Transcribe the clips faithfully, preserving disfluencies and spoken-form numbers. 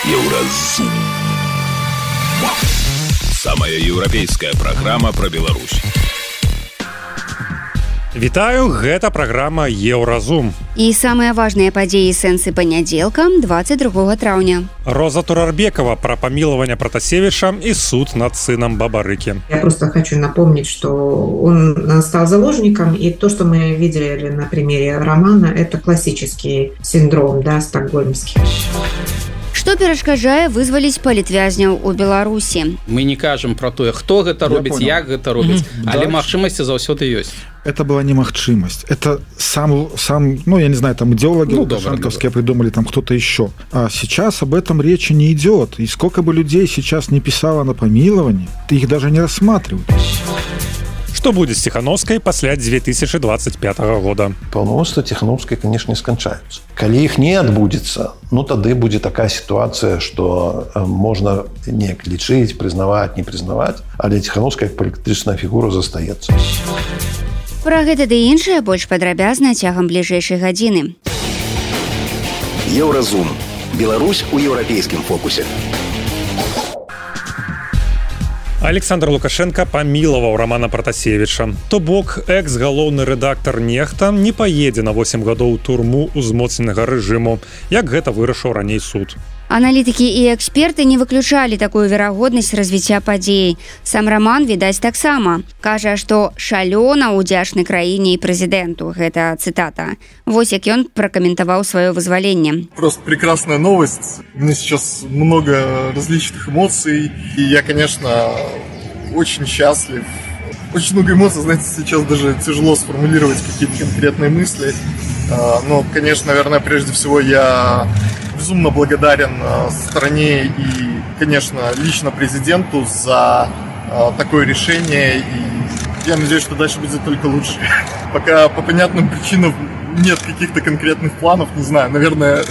Еўразум. Самая еўрапейская праграма пра Беларусь. Вітаю, гэта праграма Еўразум. І самыя важныя падзеі сэнсы панядзелка, двадцать другого траўня. Роза Турарбекова про помилование Протасевича и суд над сыном Бабарыки. Я просто хочу напомнить, что он стал заложником, и то, что мы видели на примере романа, это классический синдром, да, стокгольмский. Што перашкаджае вызваліць палітвязняў у Беларусі? Мы не кажам про тое, хто гэта робіць, як гэта робіць, mm-hmm. але да. Магчымасці заўсёды ёсць. Это была не магчимость. Это сам, сам, ну, я не знаю, там идеологи ну, лукашенковские придумали, там кто-то еще. А сейчас об этом речи не идет. И сколько бы людей сейчас не писало на помилование, их даже не рассматривают. Что будет с Тихановской после две тысячи двадцать пятого года? Полномочия Тихановской, конечно, не скончаются. Коли их не отбудется, ну, тогда будет такая ситуация, что можно не лечить, признавать, не признавать, а для Тихановской как политическая фигура застается. Пра гэта ды іншае больш падрабязна цягам бліжэйшай гадзіны. Еўразум. Беларусь у еўрапейскім фокусе. Александр Лукашенко памілаваў Романа Протасевича. То бок, экс-галоўны рэдактар «Нехта» не паедзе на восемь гадоў у турму узмоцненага рэжыму, як гэта вырашыў раней суд. Аналітыкі і эксперты не выключалі такую верагоднасць развіцця падзей. Сам Роман, відаць, таксама. Кажа, што шалёна ўдзячны краіне і прэзідэнту. Гэта цытата. Вось як ён пракаментаваў сваё вызваленне. Просто прекрасная новость. У меня сейчас много различных эмоций. И я, конечно, очень счастлив. Очень много эмоций, знаете, сейчас даже тяжело сформулировать какие-то конкретные мысли. Но, конечно, наверное, прежде всего я безумно благодарен стране и, конечно, лично президенту за такое решение. И я надеюсь, что дальше будет только лучше. Пока по понятным причинам нет каких-то конкретных планов, не знаю, наверное,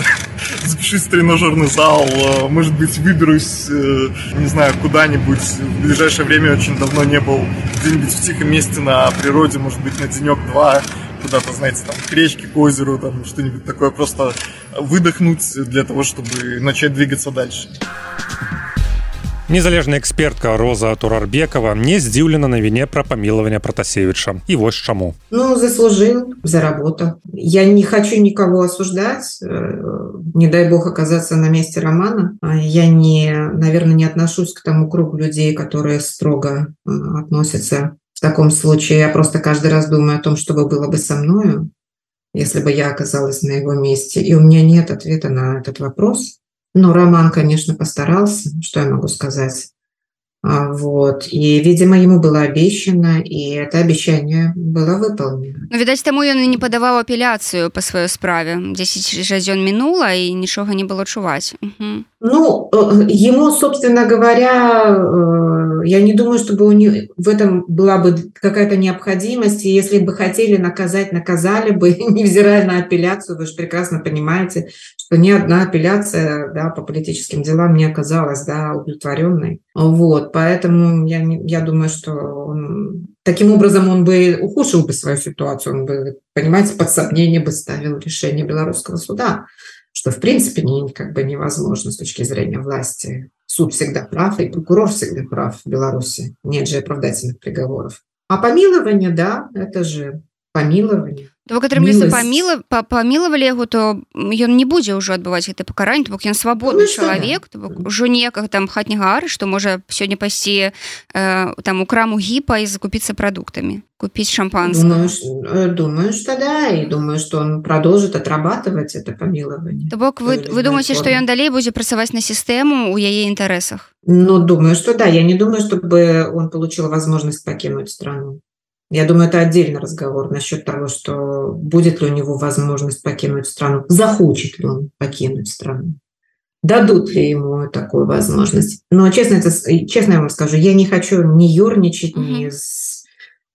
запишусь в тренажерный зал, может быть, выберусь, не знаю, куда-нибудь. В ближайшее время очень давно не был где-нибудь в тихом месте на природе, может быть, на денек-два, куда-то, знаете, там, к речке, к озеру, там, что-нибудь такое, просто выдохнуть для того, чтобы начать двигаться дальше. Незалежная экспертка Роза Турарбекова не здзіўлена навіне пра памілаванне Протасевича. И вот чему. Ну, заслужил, заработал. Я не хочу никого осуждать, не дай бог оказаться на месте Романа. Я, не, наверное, не отношусь к тому кругу людей, которые строго относятся в таком случае. Я просто каждый раз думаю о том, что бы было бы со мною, если бы я оказалась на его месте. И у меня нет ответа на этот вопрос. Но Роман, конечно, постарался, что я могу сказать. Вот. И, видимо, ему было обещано, и это обещание было выполнено. Ну, відаць, таму ён і не падаваў апеляцыю па сваёй справе. дзесяць гадзён мінула, і нічога не было чуваць. Угу. Ну, ему, собственно говоря, я не думаю, чтобы у него в этом была бы какая-то необходимость. И если бы хотели наказать, наказали бы, невзирая на апелляцию. Вы же прекрасно понимаете, что ни одна апелляция, да, по политическим делам не оказалась, да, удовлетворенной. Вот, поэтому я, я думаю, что он, таким образом он бы ухудшил бы свою ситуацию, он бы, понимаете, под сомнение бы ставил решение белорусского суда, что в принципе не, как бы невозможно с точки зрения власти. Суд всегда прав, и прокурор всегда прав в Беларуси. Нет же оправдательных приговоров. А помилование, да, это же помилование. То бок атрымліваецца паміла памілавалі яго, то ён не будзе ўжо адбываць гэта пакаранне, то бок ён свабодны ну, чалавек, то бок ужо ніякага там хатняга арышту, можа сёння пайсці э, там у краму гіпа і закупіцца прадуктамі, купіць шампанское. Думаю, думаю, что да, и думаю, что он продолжит отрабатывать это помилование. То бок вы, вы думаете, что ён далей будзе працаваць на сістэму у яе інтарэсах? Ну, думаю, что да. Я не думаю, чтобы он получил возможность покинуть страну. Я думаю, это отдельный разговор насчет того, что будет ли у него возможность покинуть страну, захочет ли он покинуть страну, дадут ли ему такую возможность. Но честно, это, честно я вам скажу, я не хочу ни ерничать, mm-hmm. ни с,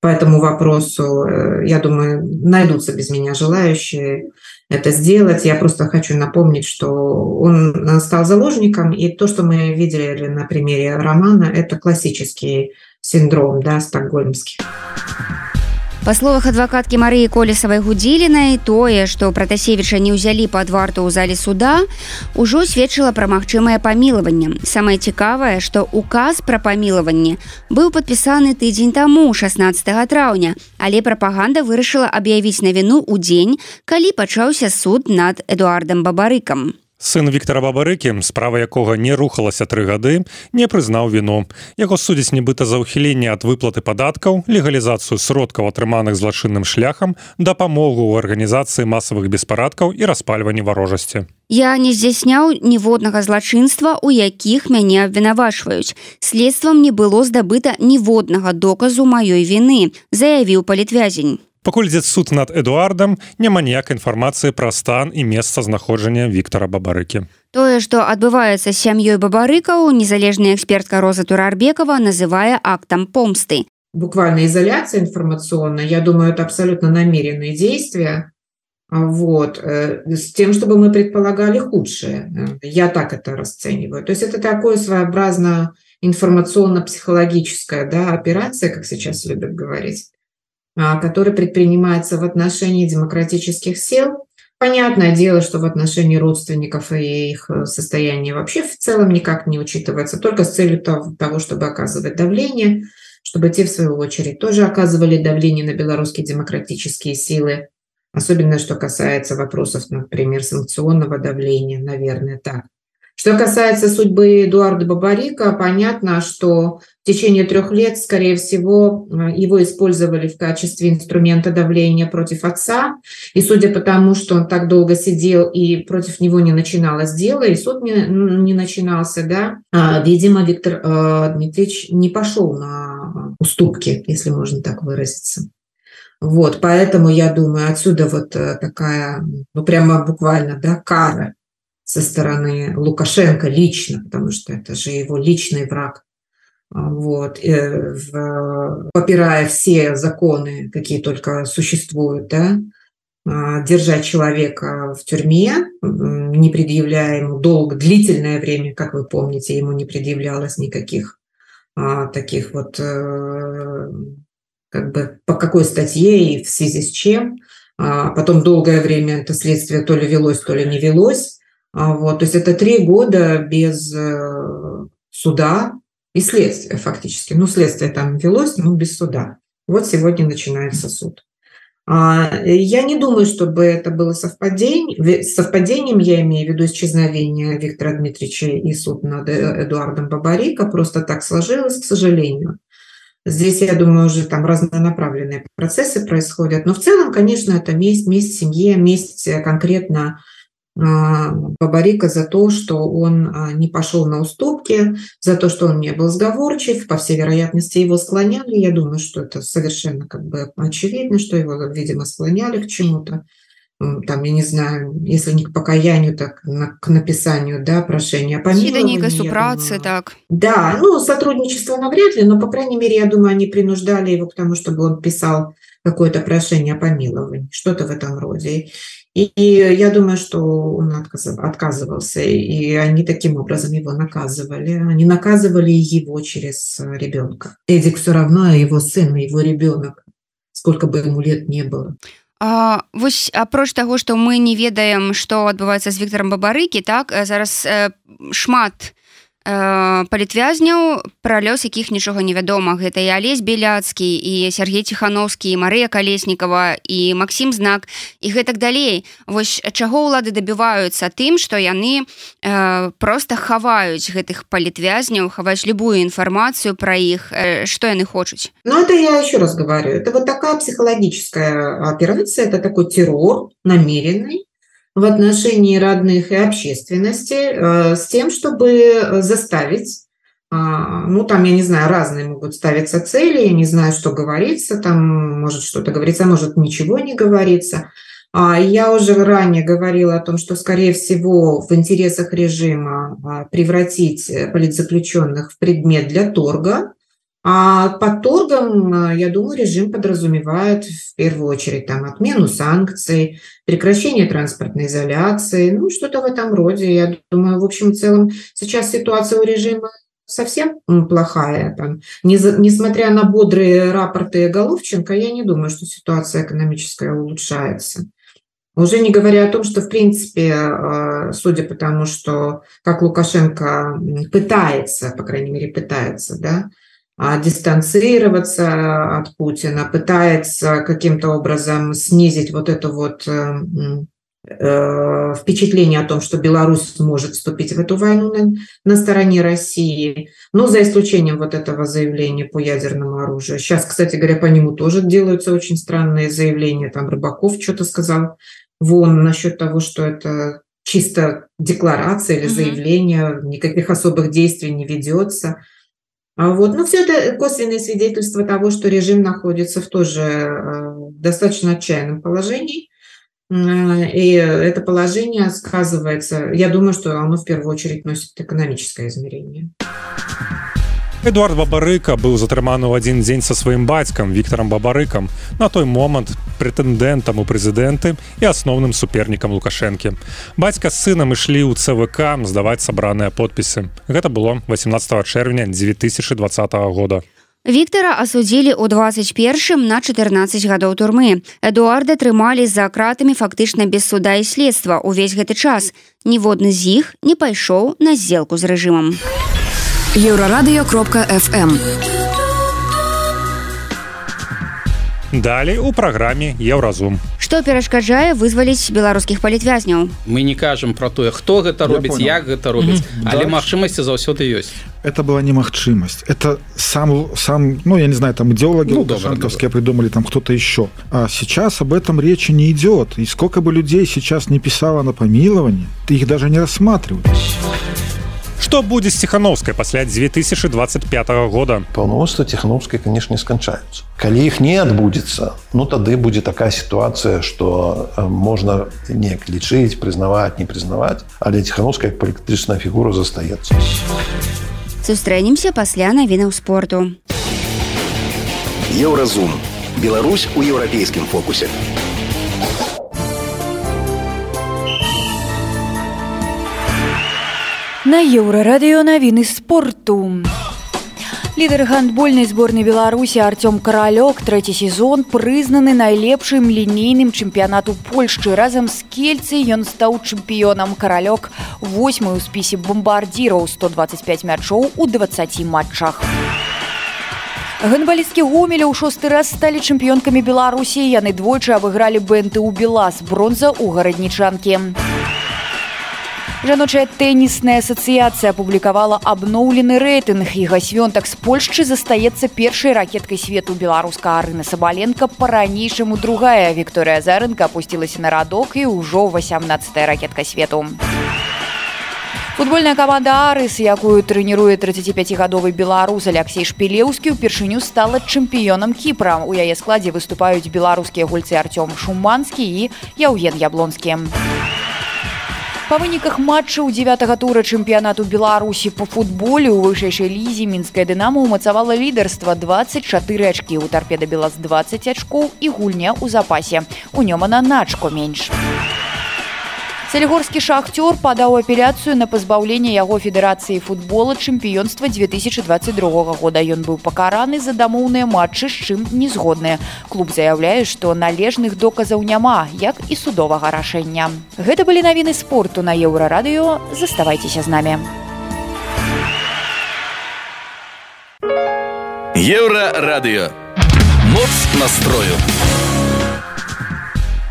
по этому вопросу. Я думаю, найдутся без меня желающие это сделать. Я просто хочу напомнить, что он стал заложником, и то, что мы видели на примере Романа, это классический синдром, да, стокгольмский. Па словах адвакаткі Марыі Колесавай-Гудзілінай, тое, што Пратасевіча не ўзялі пад варту ў зале суда, ужо сведчыла пра магчымае памілаванне. Самае цікавае, што указ пра памілаванне быў падпісаны тыдзень таму, шаснаццатага траўня, але прапаганда вырашыла аб'явіць навіну ў дзень, калі пачаўся суд над Эдуардам Бабарыкам. Сын Віктара Бабарыкі, справа якога не рухалася тры гады, не прызнаў віну. Яго судзяць нібыта за ўхіленне ад выплаты падаткаў, легалізацыю сродкаў, атрыманых злачынным шляхам, дапамогу ў арганізацыі масавых беспарадкаў і распальванні варожасці. Я не здзяйсняў ніводнага злачынства, у якіх мяне абвінавачваюць. Следствам не было здабыта ніводнага доказу маёй віны, заявіў палітвязень. Пакуль ідзе суд над Эдуардам, няма ніякай інфармацыі пра стан і месца знаходжання Віктара Бабарыкі. Тое, што адбываецца з сям'ёй Бабарыкаў, незалежная экспертка Роза Турарбекова называе актом помсты. Буквально изоляция информационная, я думаю, это абсолютно намеренные действия, вот, с тем, чтобы мы предполагали худшее. Я так это расцениваю. То есть это такое своеобразно информационно-психологическая, да, операция, как сейчас любят говорить, который предпринимается в отношении демократических сил. Понятное дело, что в отношении родственников и их состояния вообще в целом никак не учитывается, только с целью того, чтобы оказывать давление, чтобы те, в свою очередь, тоже оказывали давление на белорусские демократические силы, особенно что касается вопросов, например, санкционного давления, наверное, так. Что касается судьбы Эдуарда Бабарыка, понятно, что в течение трех лет, скорее всего, его использовали в качестве инструмента давления против отца. И судя по тому, что он так долго сидел и против него не начиналось дело, и суд не, не начинался, да, видимо, Виктор э, Дмитриевич не пошел на уступки, если можно так выразиться. Вот, поэтому я думаю, отсюда вот такая, ну прямо буквально, да, кара со стороны Лукашенко лично, потому что это же его личный враг, вот, попирая все законы, какие только существуют, да, держать человека в тюрьме, не предъявляя ему долго, длительное время, как вы помните, ему не предъявлялось никаких а, таких вот, как бы, по какой статье и в связи с чем. А потом долгое время это следствие то ли велось, то ли не велось. Вот, то есть это три года без э, суда и следствия фактически. Ну, следствие там велось, но без суда. Вот сегодня начинается суд. А, я не думаю, чтобы это было совпадение. Совпадением я имею в виду исчезновение Виктора Дмитриевича и суд над Эдуардом Бабарыко. Просто так сложилось, к сожалению. Здесь, я думаю, уже там разнонаправленные процессы происходят. Но в целом, конечно, это месть, месть семье, месть конкретно Бабарыко за то, что он не пошел на уступки, за то, что он не был сговорчив, по всей вероятности его склоняли. Я думаю, что это совершенно как бы очевидно, что его, видимо, склоняли к чему-то. Там, я не знаю, если не к покаянию, так на, к написанию, да, прошения о помиловании. Супрацы, так. Да, ну, сотрудничество навряд ли, но, по крайней мере, я думаю, они принуждали его к тому, чтобы он писал какое-то прошение о помиловании, что-то в этом роде. И, и я думаю, что он отказывался, и они таким образом его наказывали. Они наказывали его через ребенка. Эдик все равно его сын, его ребенок, сколько бы ему лет не было. А, вось апроч таго, што мы не ведаем, што адбываецца з Віктарам Бабарыкі, так, зараз э, шмат э, палітвязняў, пра лёс якіх нічога не вядома. Гэта і Алесь Беляцкі, і Сергей Ціхановскі, і Марыя Калеснікава, і Максім Знак, і гэтак далей. Вось чаго ўлады дабіваюцца тым, што яны э, проста хаваюць гэтых палітвязняў, хаваюць любую інфармацыю пра іх, э, што яны хочуць. Ну, это я еще раз говорю, это вот такая психологическая операция, это такой террор намеренный в отношении родных и общественности э, с тем, чтобы заставить, э, ну, там, я не знаю, разные могут ставиться цели, я не знаю, что говорится, там может что-то говорится, может ничего не говорится. А я уже ранее говорила о том, что, скорее всего, в интересах режима превратить политзаключенных в предмет для торга. А под торгом, я думаю, режим подразумевает в первую очередь там отмену санкций, прекращение транспортной изоляции, ну что-то в этом роде. Я думаю, в общем и целом сейчас ситуация у режима совсем плохая. Там, не, несмотря на бодрые рапорты Головченко, я не думаю, что ситуация экономическая улучшается. Уже не говоря о том, что, в принципе, судя по тому, что как Лукашенко пытается, по крайней мере, пытается, да, дистанцироваться от Путина, пытается каким-то образом снизить вот это вот э, впечатление о том, что Беларусь может вступить в эту войну на, на стороне России, но за исключением вот этого заявления по ядерному оружию. Сейчас, кстати говоря, по нему тоже делаются очень странные заявления. Там Рыбаков что-то сказал вон насчет того, что это чисто декларация или заявление, никаких особых действий не ведется. А вот, ну, все это косвенное свидетельство того, что режим находится в тоже э, достаточно отчаянном положении. Э, и это положение сказывается, я думаю, что оно в первую очередь носит экономическое измерение. Эдуард Бабарыка быў затрыманы ў адзін дзень са сваім бацькам Вікторам Бабарыкам, на той момант прэтэндэнтам у прэзідэнты і асноўным супернікам Лукашэнкі. Бацька з сынам ішлі ў цэ вэ ка здаваць сабраныя подпісы. Гэта было восемнадцатого чэрвеня две тысячи двадцатого года. Віктора асудзілі ў двадцать першым на чатырнаццаць гадоў турмы. Эдуарда трымалі за кратамі фактычна без суда і следства ўвесь гэты час. Ніводны з іх не пайшоў на здзелку з рэжымам. Еўрарадыё кропка эф эм. Далей у праграме Еўразум. Што перашкаджае вызваліць беларускіх палітвязняў? Мы не кажам пра тое, хто гэта робіць, як гэта робіць, mm-hmm. але магчымасці заўсёды ёсць. Это была немагчымасць. Это сам, сам, ну, я не знаю, там идеологи ну, лукашенковские придумали, там кто-то еще. А сейчас об этом речи не идет. И сколько бы людей сейчас не писало на помилование, их даже не рассматривают. Што будзе з Ціхановскай пасля две тысячи двадцать пятого года? Паўнамоцтва Ціхановскай, конечно, не сканчаюцца. Калі іх не адбудзецца, ну тады будзе такая сітуацыя, што можна неяк лічыць, прызнаваць, не прызнаваць, але Ціхановская як палітычная фігура застаецца. Сустрэнемся пасля навінаў спорту. Еўразум. Беларусь у еўрапейскім фокусе. На Еўрарадыё навіны спорту. Лідар гандбольнай зборнай Беларусі Артём Каралёк трэці сезон прызнаны найлепшым лінейным чэмпіянату Польшчы. Разам з Кельцай ён стаў чэмпіёнам. Каралёк восьмы ў спісе бамбардзіраў, сто двадцать пять мячоў у двадцати матчах. Гандбалісткі Гомеля ў шосты раз сталі чэмпіёнкамі Беларусі. Яны двойчы абыгралі бэ эн тэ ў Белас, бронза ў гараднічанкі. Жаночая тэнісная асацыяцыя апублікавала абноўлены рэйтынг. Іга Свёнтак з Польшчы застаецца першай ракеткай свету. Беларуска Арына Сабаленка па-ранейшаму другая. Вікторыя Азарэнка апусцілася на радок і ўжо васямнаццатая ракетка свету. Футбольная каманда «Арыс», якую трэніруе трыццаціпяцігадовы беларус Аляксей Шпілеўскі, упершыню стала чэмпіёнам Кіпра. У яе складзе выступаюць беларускія гульцы Артём Шуманскі і Яўген Яблонскі. Па выніках матчаў дзевятага тура чэмпіянату Беларусі па футболе ў вышэйшай лізе мінская «Дынамо» ўмацавала лідарства двадцать чатыры ачкі, у «Торпеда Белас» двадцать ачкоў і гульня ў запасе. У Нёмана на ачко менш. Салігорскі «Шахтёр» падаў апеляцыю на пазбаўленне яго федэрацыі футбола чэмпіёнства две тысячи двадцать другого года. Ён быў пакараны за дамоўныя матчы, з чым не згодныя. Клуб заяўляе, што належных доказаў няма, як і судовага рашэння. Гэта былі навіны спорту на Еўрарадыё. Заставайцеся з намі. Еўрарадыё. Моц настрою.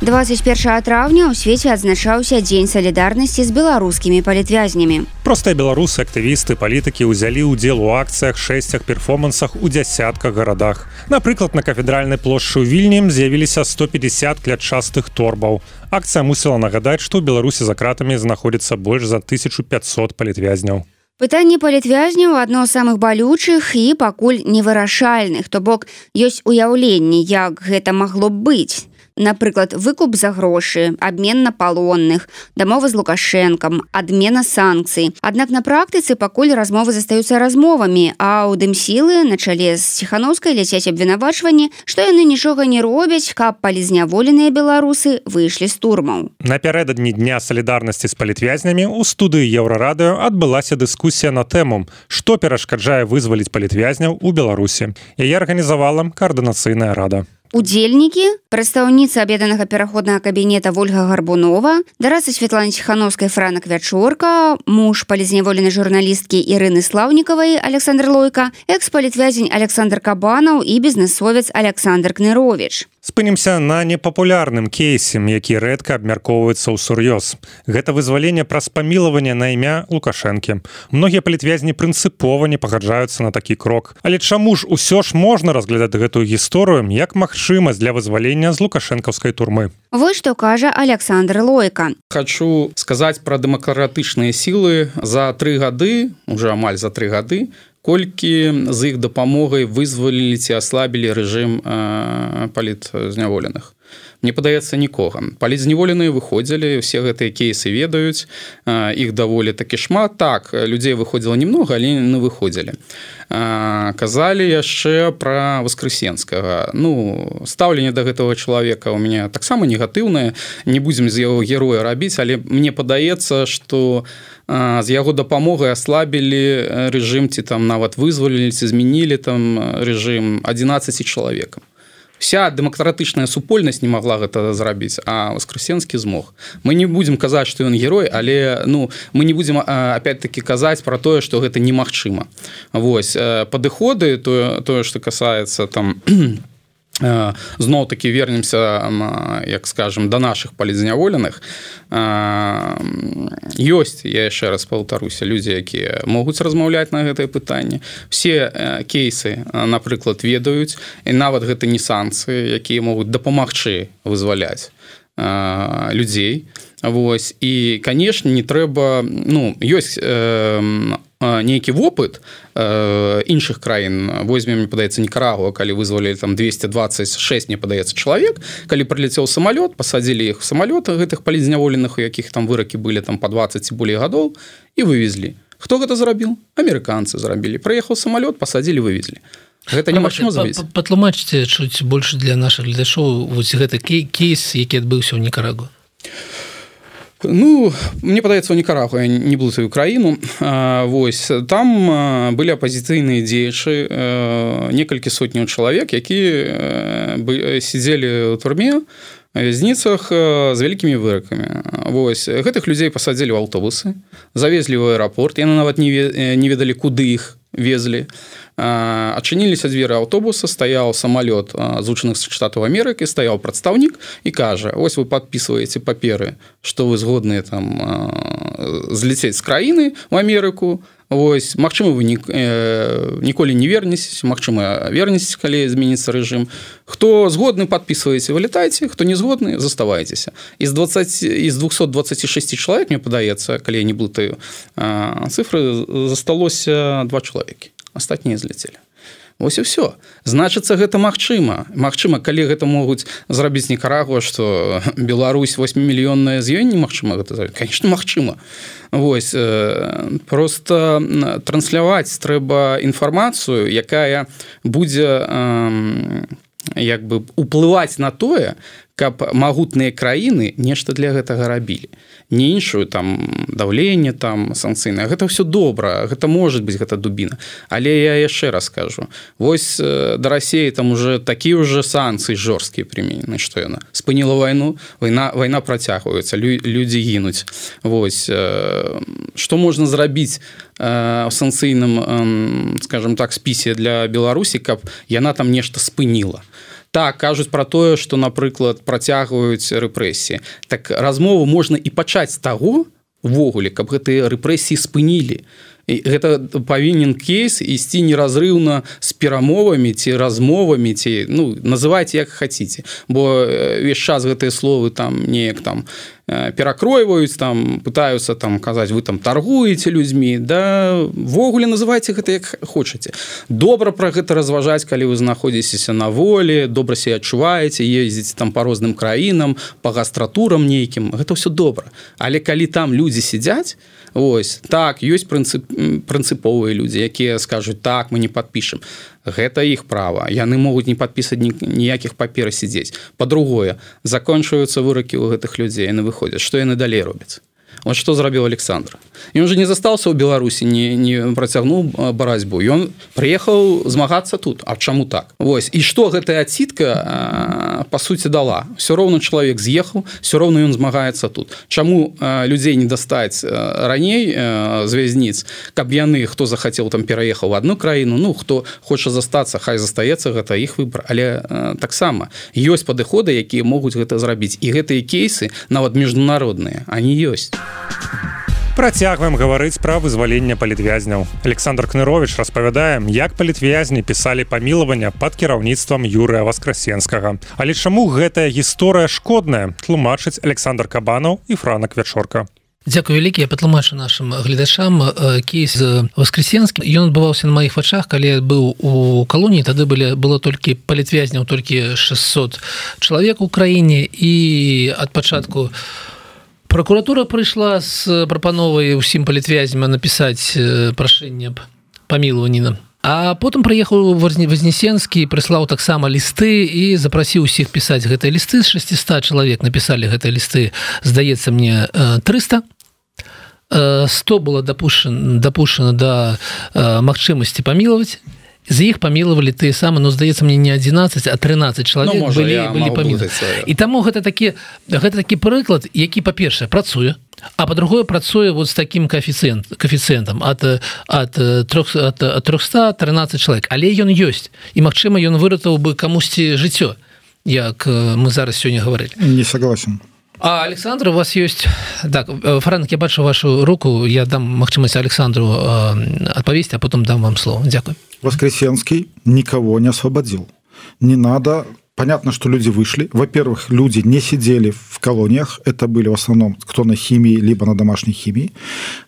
двадцать першага траўня ў свеце адзначаўся Дзень салідарнасці з беларускімі палітвязнямі. Простыя беларусы, актывісты, палітыкі ўзялі ўдзел у акцыях, шэсцях, перформансах у дзясятках гарадах. Напрыклад, на кафедральнай плошчы ў Вільні з'явіліся сто пятьдесят клятчастых торбаў. Акцыя мусіла нагадаць, што ў Беларусі за кратамі знаходзіцца больш за тысячу пятьсот палітвязняў. Пытанне палітвязняў адно з самых балючых і пакуль невырашальных, то бок ёсць уяўленне, як гэта магло б быць. напрыклад, выкуп за грошы, абмен на палонных, дамова з Лукашэнкам, адмена санкцый. Аднак на практыцы пакуль размовы застаюцца размовамі, а ў дымсілы на чале з Ціханаўскай ляцяць абвінавачванні, што яны нічога не робяць, каб палізняволеныя беларусы выйшлі з турмаў. Напярэдадні дня салідарнасці з палітвязнямі ў студыі Еўрарадыё адбылася дыскусія на тэму, што перашкаджае вызваліць палітвязняў у Беларусі. Яе арганізавала каардынацыйная рада. Удзельнікі, прадстаўніца аб'яднанага пераходнага кабінета Вольга Гарбунова, дарацы Святланы Ціханаўскай Франак Вячорка, муж палізняволенай журналісткі Ірыны Слаўнікавай Александр Лойка, экс-палітвязень Александр Кабанаў і бізнесовец Александр Кныровіч. Спынімся на непапулярным кейсе, які рэдка абмяркоўваецца ўсур'ёз. Гэта вызваленне праз памілаванне на імя Лукашэнкі. Многія палітвязні прынцыпова не пагаджаюцца на такі крок. Але чаму ж усё ж можна разглядаць гэтую гісторыю як магчымасць для вызвалення з лукашэнкаўскай турмы? Вось што кажа Александр Лойка. Хочу сказаць пра дэмакратычныя сілы. За тры гады, уже амаль за тры гады, колькі з іх дапамогай вызвалілі ці аслабілі рэжым э, палітзняволеных. Мне падаецца, нікога. Палітзняволеныя выходзілі, усе гэтыя кейсы ведаюць, э, іх даволі такі шмат. Так, людзей выходзіла немного, але не выходзілі. Э, казалі яшчэ пра Воскресенскага. Ну, стаўленне да гэтага чалавека ў мяне таксама негатыўнае. Не будзем з яго героя рабіць, але мне падаецца, што з яго дапамогай аслабілі рэжым, ці там нават вызвалілі, ці змянілі там рэжым адзінаццаці чалавекам. Вся дэмакратычная супольнасць не магла гэта зрабіць, а Воскресенскі змог. Мы не будзем казаць, што ён герой, але ну, мы не будзем опять-таки казаць пра тое, што гэта немагчыма. Вось, падыходы, тое, тое што касаецца там зноў таки вернемся, як скажем, да нашых палітзняволеных. Ёсць, я яшчэ раз паўтаруся, людзі, якія могуць размаўляць на гэтае пытанне. Все кейсы, напрыклад, ведаюць, і нават гэта не санкцыі, якія могуць дапамагчы вызваляць людзей. Вось. І, канешне, не трэба, ну, ёсць э, нейкі вопыт э, іншых краін. Возьмем, мне падаецца, Нікарагуа, калі вызвалілі там двести двадцать шесть, мне падаецца, чалавек, калі прыляцеў самалёт, пасадзілі іх у самалёт, гэтых палітзняволеных, у якіх там выракі былі там па двадцать ці болей гадоў, і вывезлі. Хто гэта зрабіл? Амерыканцы зрабілі. Прыехаў самалёт, пасадзілі, вывезлі. Гэта немагчыма зрабіць. Патлумачце чуць больш для нашых гледачоў вось гэты кейс, які адбыўся ў Нікарагуа. Ну, мне падаецца, у Нікарагуа, я не буду сваю краіну. Вось, там былі апазіцыйныя дзеячы, некалькі сотняў чалавек, якія сидзелі ў турме, вязніцах з вялікімі выракамі. Вось, гэтых людзей пасадзілі ў аўтобусы, завезлі ў аэрапорт, яны нават не ведалі, куды іх везлі. Адчыніліся дзверы аўтобуса, стаяў самалёт Злучаных Штатаў Амерыкі, стаяў прадстаўнік і кажа: ось вы падпісваеце паперы, што вы згодныя там зляцець з краіны ў Амерыку. Вось, магчыма, вы ніколі не вернецеся, магчыма, вернецеся, калі зменіцца рэжым. Хто згодны, падпісваеце, вылетайце, хто не згодны, заставайцеся. Из двухсот двадцати шести чалавек, мне падаецца, калі я не блытаю цифры, засталося два чалавекі. Астатнія зляцелі. Вось і ўсё. Значыцца, гэта магчыма. Магчыма, калі гэта могуць зрабіць Нікарагуа, што Беларусь восьмімільённая, з ёй немагчыма гэта зрабіць. Канешне, магчыма. Вось, просто трансляваць трэба інфармацыю, якая будзе як бы уплываць на тое, каб магутныя краіны нешта для гэтага рабілі. Не іншую там даўленне, там санкцыйнае. Гэта ўсё добра, гэта можа быць, гэта дубіна. Але я яшчэ раз кажу, вось да Расіі там уже такія ўжо санкцыі жорсткія прыменены, што яна спыніла вайну, вайна, вайна працягваецца, лю, людзі гінуць. Вось, што можна зрабіць ў санкцыйным, скажем так, спісе для Беларусі, каб яна там нешта спыніла. Так, кажуць пра тое, што, напрыклад, працягваюць рэпрэсіі. Так размову можна і пачаць з таго, ввогуле, каб гэтыя рэпрэсіі спынілі. І гэта павінен кейс ісці неразрыўна з перамовамі ці размовамі, ці, ну, называйце як хаціце. Бо ўвесь час гэтыя словы там неяк там перакройваюць, там пытаюцца там казаць, вы там торгуеце людзьмі, да ввогуле называйце гэта як хочаце. Добра пра гэта разважаць, калі вы знаходзіцеся на волі, добра себе адчуваеце, ездзіце там па розным краінам, па гастратурам нейкім, гэта ўсё добра. Але калі там людзі сядзяць, ось, так, ёсць прынцып, прынцыповыя людзі, якія скажуць, так, мы не падпішам. Гэта іх права. Яны могуць не падпісаць ніякіх папер сядзець. Па-другое, закончваюцца выракі ў гэтых людзей, яны выходзяць. Што яны далей робяць? Вот что зрабіў Александр. Ён же не застаўся ў Беларусі, не, не працягнуў барацьбу. Ён прыехаў змагацца тут. А чаму так? Вось. І што гэтая адсідка, па суці, дала? Всё роўна чалавек з'ехаў, всё роўна ён змагаецца тут. Чаму людзей не дастаць раней з вязніц, каб яны, хто захацеў, там пераехаў в одну краіну, ну, хто хоча застацца, хай застаецца, гэта іх выбар. Але таксама ёсць падыходы, якія могуць гэта зрабіць. І гэтыя кейсы, нават міжнародныя, они ёсць. Працягваем гаварыць пра вызваленне палітвязняў. Александр Кныровіч распавядае, як палітвязні пісалі памілавання пад кіраўніцтвам Юрыя Васкрасенскага. Але чаму гэтая гісторыя шкодная, тлумачыць Александр Кабанаў і Франак Вячорка. Дзякую вялікі, я патлумачу нашим гледачам кейс з Васкрасенскім. Ён адбываўся на маіх вачах, калі я быў у калоніі, тады былі, было толькі палітвязняў, толькі шэсцьсот чалавек у краіне, і ад пачатку прокуратура прыйшла з прапановай усім палітвязням напісаць прашэнне аб памілаванні. А потым прыехаў Вознесенскі, прыслаў таксама лісты і запрасіў усіх пісаць гэтыя лісты. З шэсцьсот чалавек напісалі гэтыя лісты, здаецца мне, трыста. сто было дапушчана, дапушчана да магчымасці памілаваць. З іх памілавалі тыя самы, ну, здаецца мне, не адзінаццаць, а трынаццаць чалавек ну, можа, былі, былі памілаваць. І таму гэта такі, гэта такі прыклад, які, па-першае, працуе, а па-другое, працуе вот з такім коэфіцыент, коэфіцыентам ад, ад, ад, ад трохсот трынаццаць чалавек. Але ён ёсць. І, магчыма, ён выратаваў бы камусьці жыццё, як мы зараз сёння гаварылі. Не согласен. А, Александр, у вас есть... Так, Франк, я бачу вашу руку, я дам магчымасць Александру адпавесці, а потом дам вам слово. Дякую. Воскресенский никого не освободил. Не надо... Понятно, что люди вышли. Во-первых, люди не сидели в колониях. Это были в основном кто на химии, либо на домашней химии.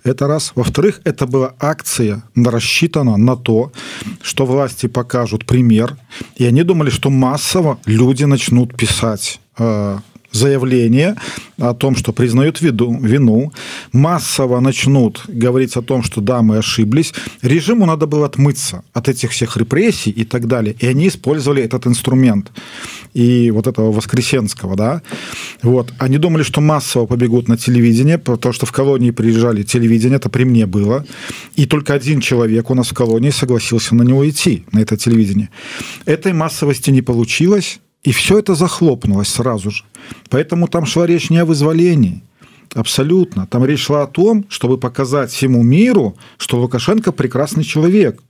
Это раз. Во-вторых, это была акция, рассчитана на то, что власти покажут пример. И они думали, что массово люди начнут писать э, заявление о том, что признают виду, вину, массово начнут говорить о том, что да, мы ошиблись. Режиму надо было отмыться от этих всех репрессий и так далее. И они использовали этот инструмент. И вот этого Воскресенского, да. Вот. Они думали, что массово побегут на телевидение, потому что в колонии приезжали телевидение, это при мне было. И только один человек у нас в колонии согласился на него идти, на это телевидение. Этой массовости не получилось. И все это захлопнулось сразу же. Поэтому там шла речь не о вызволении. Абсолютно. Там речь шла о том, чтобы показать всему миру, что Лукашенко прекрасный человек.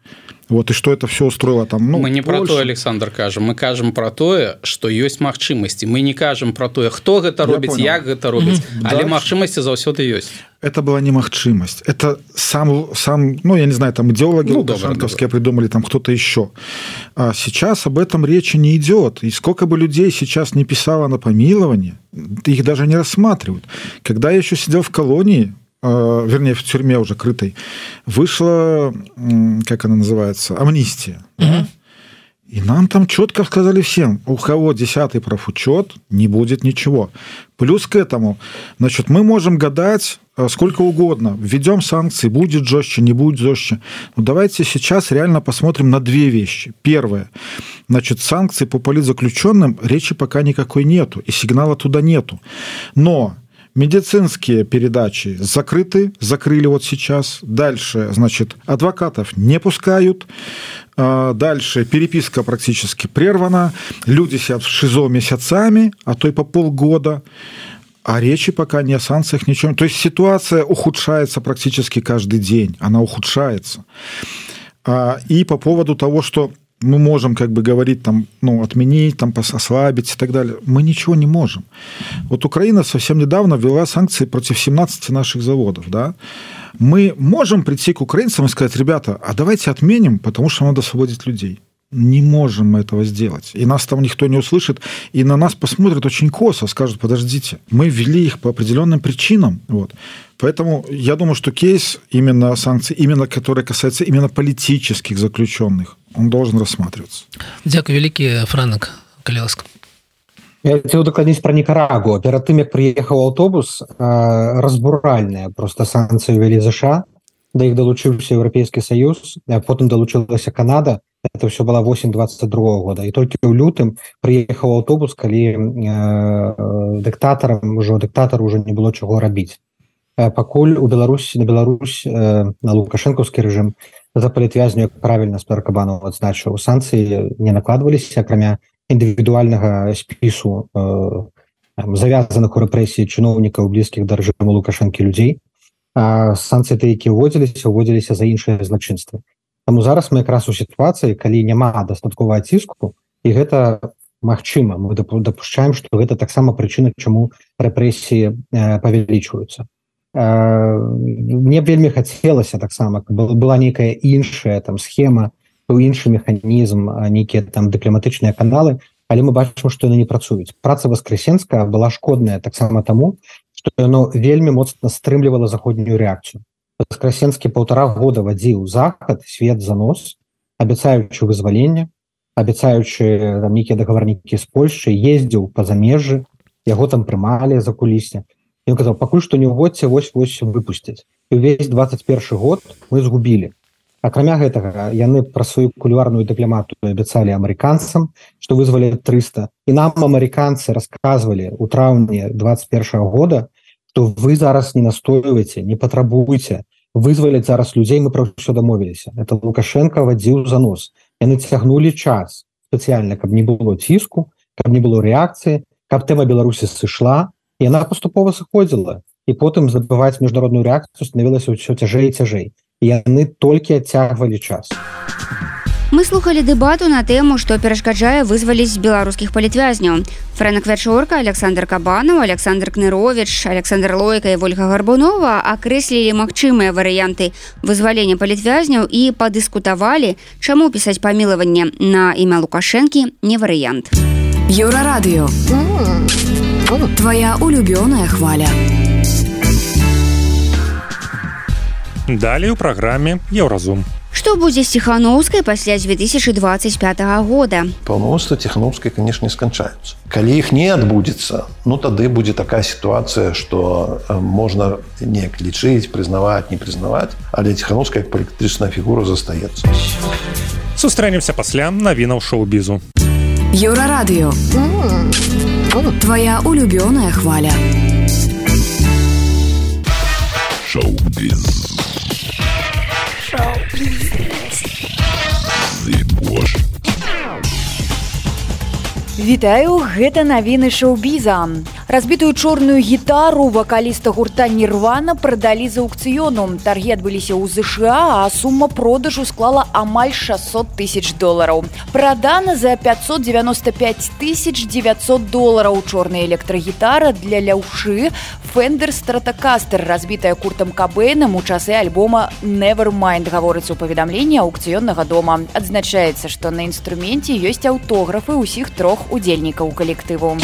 Вот, и что это все устроило там, ну, мы не Польша. Про то, Александр, кажем. Мы кажем про то, что есть магчымасці. Мы не кажем про то, кто гэта робіць, як гэта робіць. Mm-hmm. Але магчымасці заўсёды ёсць. Это была не магчимость. Это сам, сам, ну, я не знаю, там идеологи ну, лукашенковские придумали, там кто-то еще. А сейчас об этом речи не идет. И сколько бы людей сейчас не писало на помилование, их даже не рассматривают. Когда я еще сидел в колонии, э, вернее, в тюрьме уже крытой, вышла, как она называется, амнистия. Mm-hmm. Да? И нам там четко сказали всем, у кого десятый профучет, не будет ничего. Плюс к этому, значит, мы можем гадать сколько угодно. Введем санкции, будет жестче, не будет жестче. Но давайте сейчас реально посмотрим на две вещи. Первое. Значит, санкции по политзаключенным речи пока никакой нету. И сигнала туда нету. Но... Медицинские передачи закрыты, закрыли вот сейчас. Дальше, значит, адвокатов не пускают. Дальше переписка практически прервана. Люди сидят в ШИЗО месяцами, а то и по полгода. А речи пока не о санкциях, ничего. То есть ситуация ухудшается практически каждый день. Она ухудшается. И по поводу того, что мы можем как бы говорить, там, ну, отменить, там, ослабить и так далее. Мы ничего не можем. Вот Украина совсем недавно ввела санкции против семнадцати наших заводов. Да? Мы можем прийти к украинцам и сказать, ребята, а давайте отменим, потому что надо освободить людей. не можем мы этого сделать. И нас там никто не услышит, и на нас посмотрят очень косо, скажут, подождите, мы ввели их по определенным причинам. Вот. Поэтому я думаю, что кейс именно санкций, именно который касается именно политических заключенных, он должен рассматриваться. Дякую великий, Франк Каляласк. Я хотел докладніць про Никарагуа. Перед тем, как приехал автобус, разбуральные просто санкции ввели США, до их долучился Европейский Союз, а потом долучилась Канада. Это все было восемь двадцать другого года. И только в лютым приехал автобус, коли э, диктаторам, уже диктатору уже не было чего робить. Покуль у Беларуси, на Беларусь, э, на Лукашенковский режим за палітвязню, як правильно Спер Кабанов адзначыў, санкцыі не накладваліся, акрамя індывідуальнага спісу э, завязаных у рэпрэсіі чыноўнікаў, блізкіх да рэжыму Лукашэнкі людзей. А санкцыі тыя, якія ўводзіліся, ўводзіліся за іншыя злачынствы. Таму зараз мы якраз у сітуацыі, калі няма дастатковага ціску, і гэта магчыма. Мы дапушчаем, што гэта таксама прычына, чаму рэпрэсіі э, павялічваюцца. Мне б вельмі хацелася таксама, была нейкая іншая там схема, іншы механізм, нейкія там дыпламатычныя каналы, але мы бачым, што яны не працуюць. Праца Воскресенска была шкодная таксама таму, што яно вельмі моцна стрымлівала заходнюю рэакцыю. Воскресенскі паўтара года вадзіў захад, свет за нос, абяцаючы вызваленне, абяцаючы там нейкія дагаварнікі з Польшчы, ездзіў па замежжы, яго там прымалі за кулісне. Ён казаў, пакуль што не ўводзьце, вось-вось выпусцяць. І ўвесь двадцать першы год мы згубілі. Акрамя гэтага, яны пра сваю кулуарную дыпламатыю абяцалі амерыканцам, што вызвалі трыста. І нам амерыканцы расказвалі ў траўні двадцать першага года, што вы зараз не настойваеце, не патрабуйце, вызваліць зараз людзей, мы пра ўсё дамовіліся. Это Лукашенко вадзіў за нос. Яны цягнулі час спецыяльна, каб не было ціску, каб не было рэакцыі, каб тэма Беларусі сышла, і яна паступова сыходзіла. І потым забываць міжнародную рэакцыю станавілася ўсё цяжэй і цяжэй. І яны толькі адцягвалі час. Мы слухали дэбату на тэму, што перашкаджае вызваліць беларускіх палітвязняў. Фрэнак Вячорка, Александр Кабанаў, Александр Кныровіч, Александр Лойка і Вольга Гарбунова акрэслілі магчымыя варыянты вызвалення палітвязняў і падыскутавалі, чаму пісаць памілаванне на імя Лукашэнкі не варыянт. Еўрарадыё. Твоя улюбёная хваля. Далей у праграме Еўразум. Што будзе з Ціханаўскай пасля две тысячи двадцать пятого года? Паўнамоцтвы Ціханаўскай, конечно, не сканчаюцца. Калі іх не адбудзецца, ну тады будзе такая сітуацыя, што можна неяк лічыць, прызнаваць, не прызнаваць, але Ціханаўская як палітычная фігура застаецца. Сустрэнемся пасля навінаў шоу-бізу. Еўрарадыё. Твоя улюбёная хваля. Шоу-біз. Вітаю, гэта навіны шоу-біза. Разбітую чорную гітару вакаліста гурта Нірвана прадалі з аўкцыёну. Таргі адбыліся ў ЗША, а сума продажу склала амаль шестьсот тысяч долараў. Прадана за пятьсот девяносто пять тысяч девятьсот долараў. Чорная электрагітара для ляўшы Fender Stratocaster, разбітая Куртам Кабэйнам у часы альбома Nevermind, гаворыцца ў паведамленні аўкцыённага дома. Адзначаецца, што на інструменце ёсць аўтографы ўсіх трох удзельнікаў калектыву.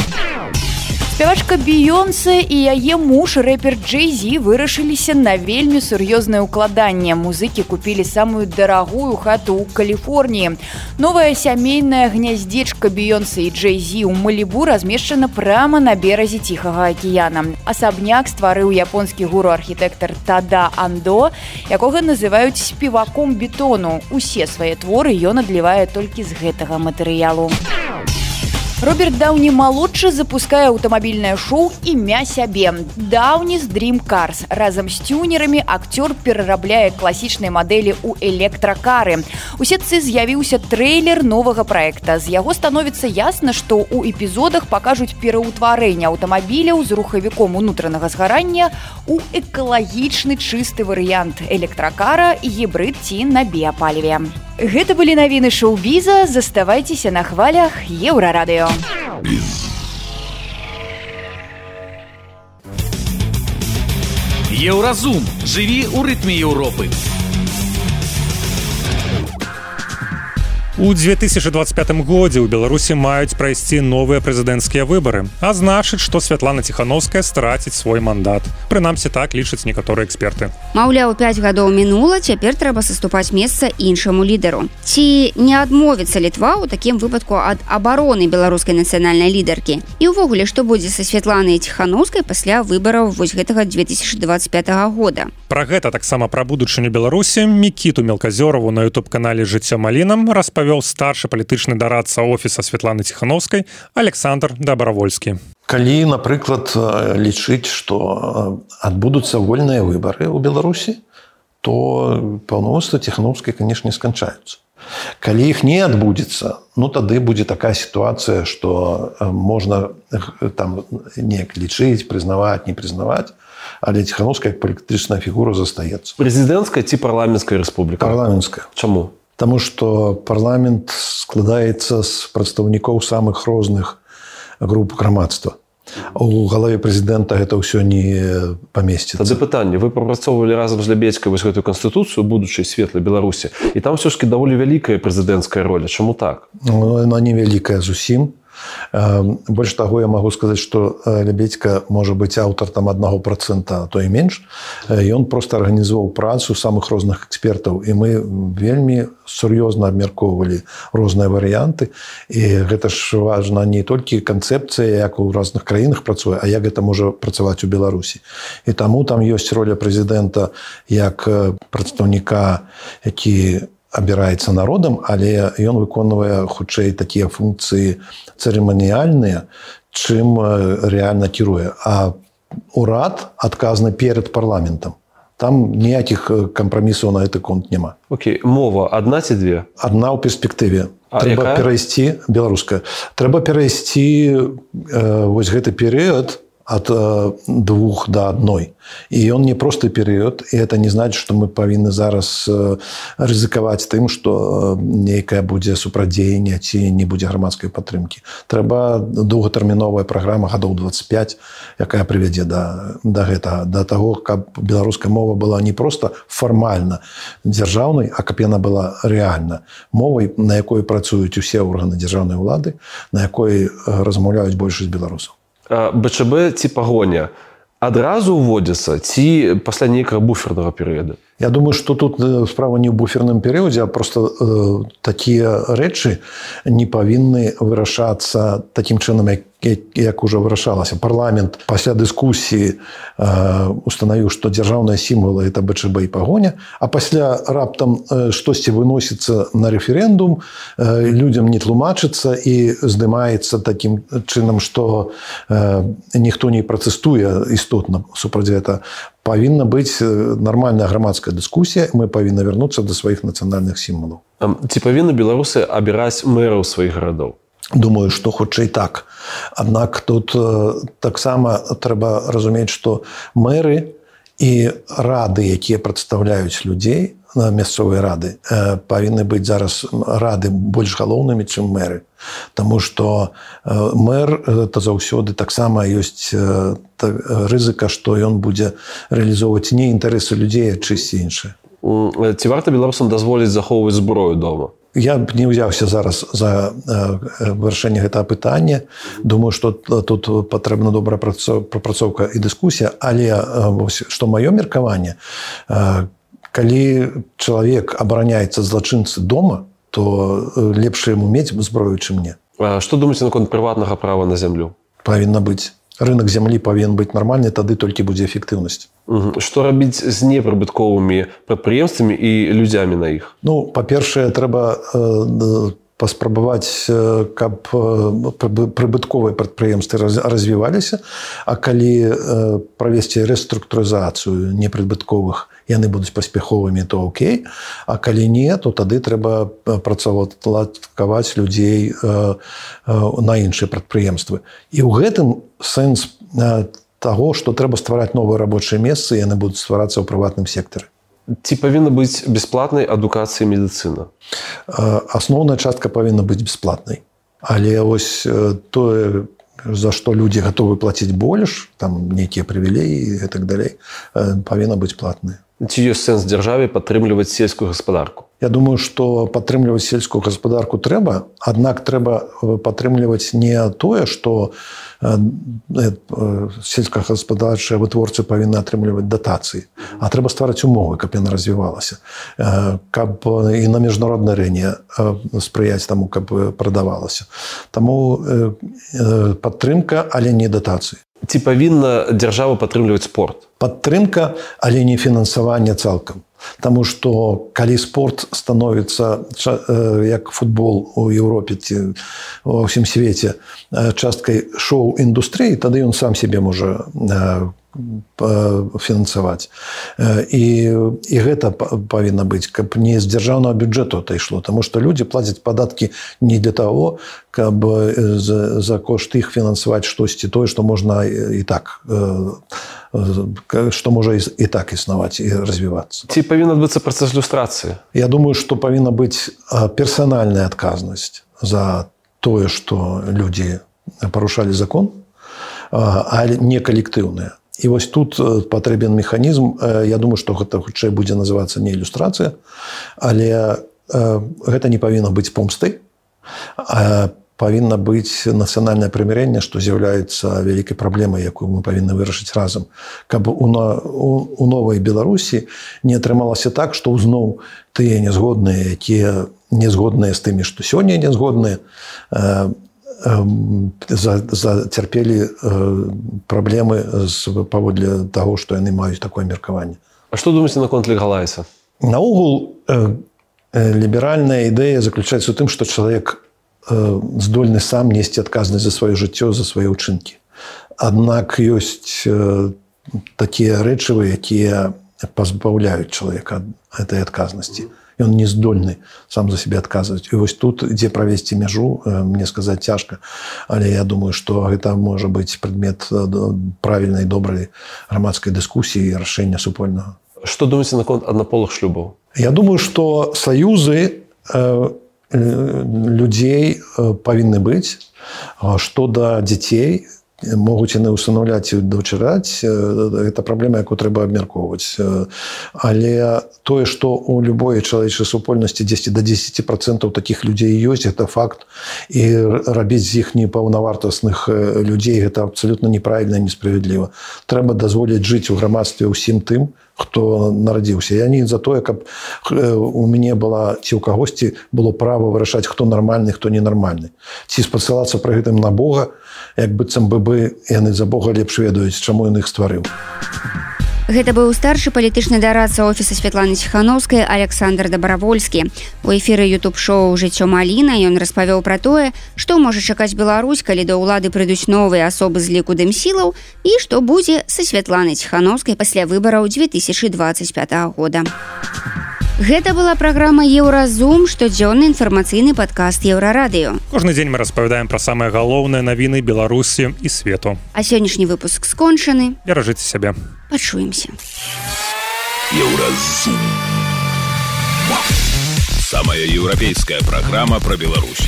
Спявачка Бейонсе і яе муж, рэпер Джей-Зі, вырашыліся на вельмі сур'ёзнае ўкладанне. Музыкі купілі самую дарагую хату ў Каліфорніі. Новая сямейная гняздзечка Бейонсе і Джей-Зі ў Малібу размешчана прама на беразе Ціхага акіяна. Асабняк стварыў японскі гуру-архітэктар Тада Андо, якога называюць спеваком бетону. Усе свае творы ён адлівае толькі з гэтага матэрыялу. Роберт Даўні-малодшы запускае аўтамабільнае шоу імя сябе. Даўні з Dream Cars. Разам з тюнерамі акцёр перарабляе класічныя мадэлі ў электракары. У сетцы з'явіўся трэйлер новага праекта. З яго становіцца ясна, што ў эпізодах пакажуць пераўтварэнне аўтамабіляў з рухавіком унутранага згарання ў экалагічны чысты варыянт электракара, гібрид ці на біяпаліве. Гэта былі навіны шоу-біза. Заставайцеся на хвалях Еўрарадыё. Еўразум. Жыві ў рытме Еўропы. У две тысячи двадцать пятым годзе ў Беларусі маюць прайсці новыя прэзідэнцкія выбары, а значыць, што Святлана Ціхановская страціць свой мандат. Прынамсі так лічаць некаторыя эксперты. Маўляў, пяць гадоў мінула, цяпер трэба саступаць месца іншаму лідару. Ці не адмовіцца Літва ў такім выпадку ад абароны беларускай нацыянальнай лідаркі? І ўвогуле, што будзе са Святланай Ціхановскай пасля выбараў вось гэтага две тысячи двадцать пятого года? Пра гэта таксама пра будучыню Беларусі Мікіту Мелказёраву на ютуб-канале «Жыццё малінам» распавёў старшы палітычны дарадца офіса Святланы Ціхановскай Александр Дабравольскі. Калі, напрыклад, лічыць, што адбудуцца вольныя выбары ў Беларусі, то паўнамоцтва Ціхановскай, канешне, сканчаюцца. Калі іх не адбудзецца, ну тады будзе такая сітуацыя, што можна там неяк лічыць, прызнаваць, не прызнаваць, але Ціхановская як палітычная фігура застаецца. Прэзідэнцкая ці парламенцкая рэспубліка? Парламенцкая. Чаму? Таму што парламент складаецца з прадстаўнікоў самых розных груп грамадства. У галаве прэзідэнта гэта ўсё не памесціцца. Тады пытанне, вы прапрацоўвалі разам з Лябедзькай вось гэтую канстытуцыю будучай светлай Беларусі, і там ўсё ж такі даволі вялікая прэзідэнцкая роля. Чаму так? Ну, яна не вялікая зусім. Больш таго, я магу сказаць, што Лябедзька можа быць аўтар там аднаго працэнта, а то і менш. Ён проста арганізаваў працу самых розных экспертаў, і мы вельмі сур'ёзна абмяркоўвалі розныя варыянты. І гэта ж важна не толькі канцэпцыя, як у розных краінах працуе, а як гэта можа працаваць у Беларусі. І таму там ёсць роля прэзідэнта як прадстаўніка, які абіраецца народам, але ён выконвае хутчэй такія функцыі цырыманіяльныя, чым рэальна кіруе. А урад адказны перад парламентам. Там ніякіх кампрамісаў на гэты конт няма. Окей, мова адна ці две? Адна ў перспектыве. А трэба якая? перайсці, беларуская, трэба перайсці э, вось гэты перыяд ад э, двух да адной. І ён не просты перыяд, і это не значыць, што мы павінны зараз э, рызыкаваць тым, што нейкая будзе супрадзеянне ці не будзе грамадскай падтрымкі. Трэба доўгатэрміновая праграма гадоў двадцать пять, якая прывядзе да, да гэтага, да таго, каб беларуская мова была не проста фармальна дзяржаўнай, а каб яна была рэальна мовай, на якой працуюць усе органы дзяржаўнай улады, на якой размаўляюць большасць беларусаў. БЧБ ці пагоня адразу ўводзіцца ці пасля нейкага буфернага перыяда? Я думаю, што тут справа не ў буферным перыядзе, а проста э, такія рэчы не павінны вырашацца такім чынам, як, як уже вырашалася. Парламент пасля дыскусіі э, устанавіў, што дзяржаўныя сімвалы – это БЧБ і пагоня, а пасля раптам э, штосьці выносіцца на рэферэндум, э, людзям не тлумачыцца і здымаецца такім чынам, што э, ніхто не пратэстуе істотна супраць гэта. Павінна быць нармальная грамадская дыскусія, мы павінны вярнуцца да сваіх нацыянальных сімвалаў. Ці павінны беларусы абіраць мэраў сваіх гарадоў? Думаю, што хутчэй так. Аднак тут э, таксама трэба разумець, што мэры і рады, якія прадстаўляюць людзей, мясцовыя рады, э, павінны быць зараз рады больш галоўнымі, чым мэры. Таму што э, мэр это заўсёды таксама ёсць э, та, рызыка, што ён будзе рэалізоўваць не інтарэсы людзей, а чысці іншыя. Ці варта беларусам дазволіць захоўваць зброю дома? Я б не ўзяўся зараз за вырашэнне гэтага пытання. Думаю, што тут патрэбна добрая прапрацоўка і дыскусія, але што маё меркаванне, калі чалавек абараняецца злачынцы дома, то лепш яму мець зброю, чым не. А што думаеце наконт прыватнага права на зямлю? Павінна быць. Рынок зямлі павінен быць нармальны, тады толькі будзе эфектыўнасць. Угу. Што рабіць з непрыбытковымі прадпрыемствамі і людзямі на іх? Ну, па-першае, трэба э, паспрабаваць, каб прыбытковыя прадпрыемствы развіваліся, а калі э, правесці рэструктурызацыю непрыбытковых, яны будуць паспяховымі, то окей, а калі не, то тады трэба працаўладкаваць людзей э, э, на іншыя прадпрыемствы. І ў гэтым сэнс таго, што трэба ствараць новыя рабочыя месцы, яны будуць стварацца ў прыватным сектары. Ці павінна быць бясплатнай адукацыя і медыцына? Асноўная частка павінна быць бясплатнай. Але вось тое, за што людзі гатовы плаціць больш, там нейкія прывілеі і так далей, павінна быць платнай. Ці ёсць сэнс дзяржаве падтрымліваць сельскую гаспадарку? Я думаю, што падтрымліваць сельскую гаспадарку трэба, аднак трэба падтрымліваць не тое, што сельскагаспадарчыя вытворцы павінны атрымліваць датацыі, а трэба ствараць умовы, каб яна развівалася, каб і на міжнароднай арэне спрыяць таму, каб прадавалася. Таму падтрымка, але не датацыі. Ці павінна дзяржава падтрымліваць спорт? Падтрымка, але не фінансаванне цалкам. Таму што калі спорт становіцца як футбол у Еўропе ці ва ўсім свеце часткай шоу-індустрыі, тады ён сам сябе можа фінансаваць. І, і гэта павінна быць, каб не з дзяржаўнага бюджэту это ішло, таму што людзі плацяць падаткі не для таго, каб за, за кошт іх фінансаваць штосьці тое, што можна і так, што можа і так існаваць і развівацца. Ці павінна адбыцца працэс люстрацыі? Я думаю, што павінна быць персанальная адказнасць за тое, што людзі парушалі закон, але не калектыўная. І вось тут патрэбен механізм, я думаю, што гэта хутчэй будзе называцца не ілюстрацыя, але гэта не павінна быць помстай, а павінна быць нацыянальнае прымірэнне, што з'яўляецца вялікай праблемай, якую мы павінны вырашыць разам. Каб у, у, у новай Беларусі не атрымалася так, што зноў тыя нязгодныя, якія нязгодныя з тымі, што сёння нязгодныя, зацярпелі праблемы паводле таго, што яны маюць такое меркаванне. А што думаеце наконт легалайза? Наогул, ліберальная ідэя заключаецца ў тым, што чалавек здольны сам несці адказнасць за сваё жыццё, за свае ўчынкі. Аднак ёсць такія рэчывы, якія пазбаўляюць чалавека ад гэтай адказнасці. Ён не здольны сам за сябе адказваць. І вось тут, дзе правесці мяжу, мне сказаць цяжка, але я думаю, што гэта можа быць прадмет правільнай, добрай грамадскай дыскусіі і рашэння супольнага. Што думаеце наконт аднаполых шлюбаў? Я думаю, што саюзы людзей павінны быць, што да дзяцей могуць яны ўстанаўляць і дачыраць, гэта праблема, якую трэба абмяркоўваць. Але тое, што ў любой чалавечай супольнасці дзесьці да дзесяці працэнтаў такіх людзей ёсць, гэта факт. І рабіць з іх непаўнавартасных людзей гэта абсалютна неправільна і несправядліва. Трэба дазволіць жыць у грамадстве ўсім тым, хто нарадзіўся. Я не за тое, каб у мяне была, ці ў кагосьці было права вырашаць, хто нармальны, хто ненармальны. Ці спасылацца пры гэтым на Бога, як быццам бы бы яны за Бога лепш ведаюць, чаму ён іх стварыў. Гэта быў старшы палітычны дарадца офіса Святланы Ціханаўскай Александр Дабравольскі. У эфіры ютуб-шоу «Жыццё Маліна» ён распавёў пра тое, што можа чакаць Беларусь, калі да ўлады прыйдуць новыя асобы з ліку дэмсілаў і што будзе са Святланай Ціханаўскай пасля выбараў дзве тысячы дваццаць пятага года. Гэта была праграма «Еўразум», штодзённы інфармацыйны падкаст «Еўрарадыё». Кожны дзень мы распавядаем пра самыя галоўныя навіны Беларусі і свету. А сённяшні выпуск скончаны. Беражыце сябе. Пачуемся. «Еўразум». Самая еўрапейская праграма пра Беларусь.